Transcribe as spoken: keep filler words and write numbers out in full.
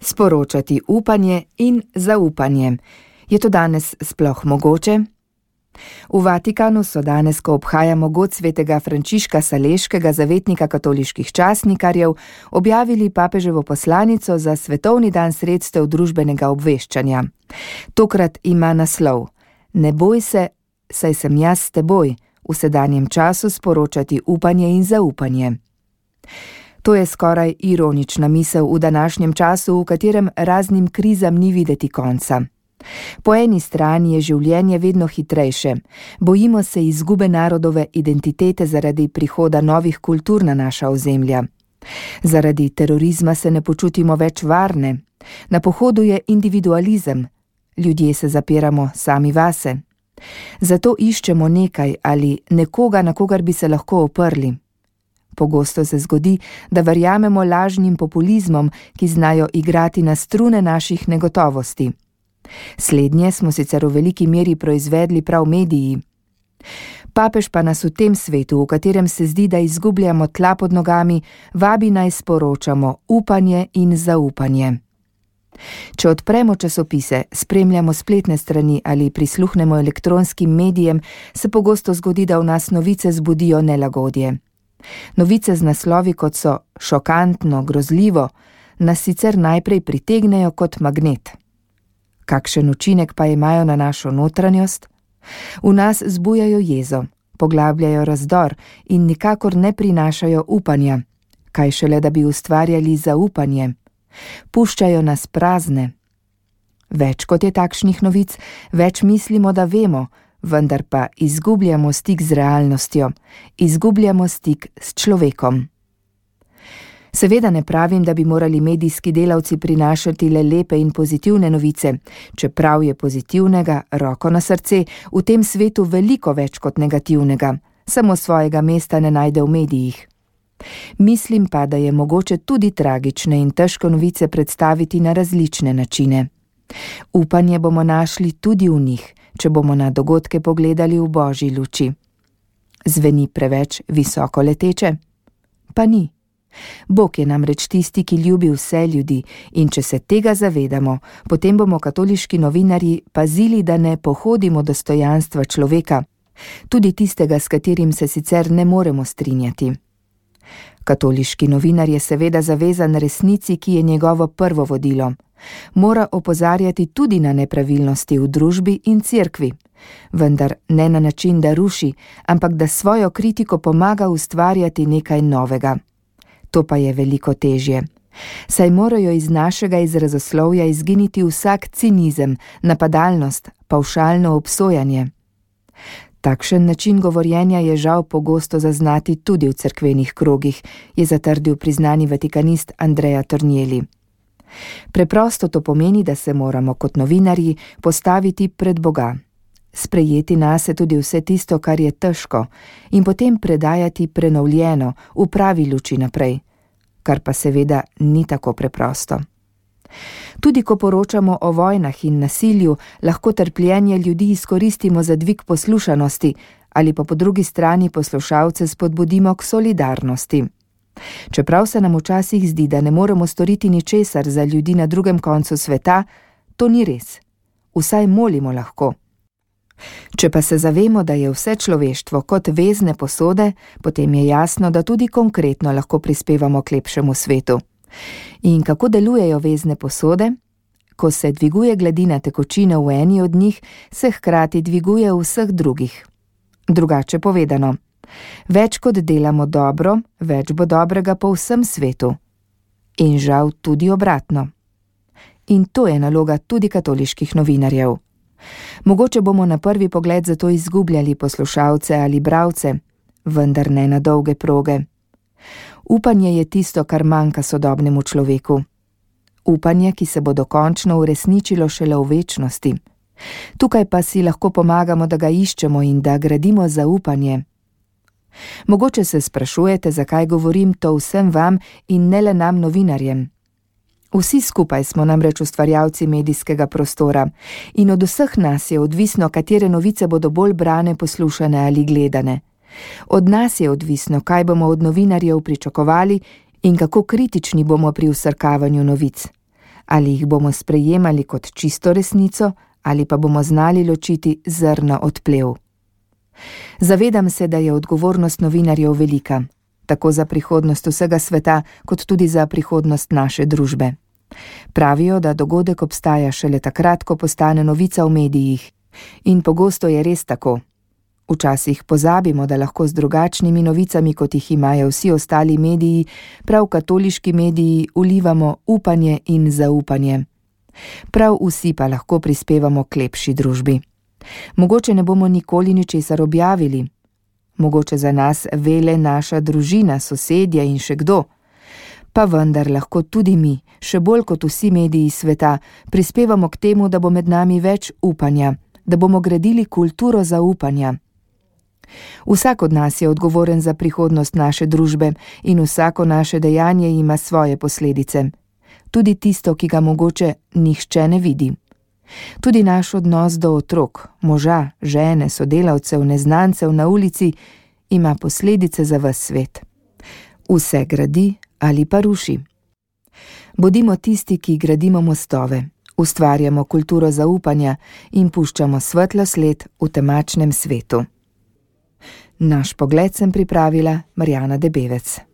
Sporočati upanje in zaupanje. Je to danes sploh mogoče? V Vatikanu so danes, ko obhajamo god svetega Frančiška Saleškega, zavetnika katoliških časnikarjev, objavili papeževo poslanico za svetovni dan sredstev družbenega obveščanja. Tokrat ima naslov: Ne boj se, saj sem jaz s teboj, v sedanjem času sporočati upanje in zaupanje. To je skoraj ironična misel v današnjem času, v katerem raznim krizam ni videti konca. Po eni strani je življenje vedno hitrejše, bojimo se izgube narodove identitete zaradi prihoda novih kultur na naša ozemlja. Zaradi terorizma se ne počutimo več varne, na pohodu je individualizem, ljudje se zapiramo sami vase. Zato iščemo nekaj ali nekoga, na kogar bi se lahko oprli. Pogosto se zgodi, da verjamemo lažnim populizmom, ki znajo igrati na strune naših negotovosti. Slednje smo sicer v veliki meri proizvedli prav mediji. Papež pa nas v tem svetu, v katerem se zdi, da izgubljamo tla pod nogami, vabi naj sporočamo upanje in zaupanje. Če odpremo časopise, spremljamo spletne strani ali prisluhnemo elektronskim medijem, se pogosto zgodi, da v nas novice zbudijo nelagodje. Novice z naslovi, kot so šokantno, grozljivo, nas sicer najprej pritegnejo kot magnet. Kakšen učinek pa imajo na našo notranjost? V nas zbujajo jezo, poglabljajo razdor in nikakor ne prinašajo upanja, kaj šele da bi ustvarjali zaupanje. Puščajo nas prazne. Več kot je takšnih novic, več mislimo, da vemo, vendar pa izgubljamo stik z realnostjo, izgubljamo stik s človekom. Seveda ne pravim, da bi morali medijski delavci prinašati le lepe in pozitivne novice, čeprav je pozitivnega, roko na srce, v tem svetu veliko več kot negativnega, samo svojega mesta ne najde v medijih. Mislim pa, da je mogoče tudi tragične in težko novice predstaviti na različne načine. Upanje bomo našli tudi v njih, če bomo na dogodke pogledali v božji luči. Zveni preveč visoko leteče? Pa ni. Bog je namreč tisti, ki ljubi vse ljudi, in če se tega zavedamo, potem bomo katoliški novinarji pazili, da ne pohodimo dostojanstva človeka, tudi tistega, s katerim se sicer ne moremo strinjati. Katoliški novinar je seveda zavezan resnici, ki je njegovo prvo vodilo. Mora opozarjati tudi na nepravilnosti v družbi in cerkvi, vendar ne na način, da ruši, ampak da svojo kritiko pomaga ustvarjati nekaj novega. To pa je veliko težje. Saj morajo iz našega izrazoslovja izginiti vsak cinizem, napadalnost, pavšalno obsojanje. Takšen način govorjenja je žal pogosto zaznati tudi v cerkvenih krogih, je zatrdil priznani vatikanist Andrea Tornielli. Preprosto to pomeni, da se moramo kot novinarji postaviti pred Boga, sprejeti nase tudi vse tisto, kar je težko, in potem predajati prenovljeno, v pravi luči naprej, kar pa seveda ni tako preprosto. Tudi ko poročamo o vojnah in nasilju, lahko trpljenje ljudi izkoristimo za dvig poslušanosti ali pa po drugi strani poslušalce spodbudimo k solidarnosti. Čeprav se nam včasih zdi, da ne moremo storiti ničesar za ljudi na drugem koncu sveta, to ni res. Vsaj molimo lahko. Če pa se zavemo, da je vse človeštvo kot vezne posode, potem je jasno, da tudi konkretno lahko prispevamo k lepšemu svetu. In kako delujejo vezne posode? Ko se dviguje gladina tekočine v eni od njih, se hkrati dviguje v vseh drugih. Drugače povedano, več kot delamo dobro, več bo dobrega po vsem svetu. In žal tudi obratno. In to je naloga tudi katoliških novinarjev. Mogoče bomo na prvi pogled zato izgubljali poslušalce ali bralce, vendar ne na dolge proge. Upanje je tisto, kar manjka sodobnemu človeku. Upanje, ki se bo dokončno uresničilo šele v večnosti. Tukaj pa si lahko pomagamo, da ga iščemo in da gradimo zaupanje. Mogoče se sprašujete, zakaj govorim to vsem vam in ne le nam novinarjem. Vsi skupaj smo namreč ustvarjalci medijskega prostora in od vseh nas je odvisno, katere novice bodo bolj brane, poslušane ali gledane. Od nas je odvisno, kaj bomo od novinarjev pričakovali in kako kritični bomo pri vsrkavanju novic. Ali jih bomo sprejemali kot čisto resnico, ali pa bomo znali ločiti zrno od plev. Zavedam se, da je odgovornost novinarjev velika, tako za prihodnost vsega sveta, kot tudi za prihodnost naše družbe. Pravijo, da dogodek obstaja šele takrat, ko postane novica v medijih. In pogosto je res tako. Včasih pozabimo, da lahko z drugačnimi novicami, kot jih imajo vsi ostali mediji, prav katoliški mediji, vlivamo upanje in zaupanje. Prav vsi pa lahko prispevamo k lepši družbi. Mogoče ne bomo nikoli ničesar objavili. Mogoče za nas vele naša družina, sosedje in še kdo. Pa vendar lahko tudi mi, še bolj kot vsi mediji sveta, prispevamo k temu, da bo med nami več upanja, da bomo gradili kulturo zaupanja. Vsak od nas je odgovoren za prihodnost naše družbe in vsako naše dejanje ima svoje posledice. Tudi tisto, ki ga mogoče nihče ne vidi. Tudi naš odnos do otrok, moža, žene, sodelavcev, neznancev na ulici ima posledice za ves svet. Vse gradi ali pa ruši. Bodimo tisti, ki gradimo mostove, ustvarjamo kulturo zaupanja in puščamo svetlo sled v temačnem svetu. Naš pogled sem pripravila Marjana Debevec.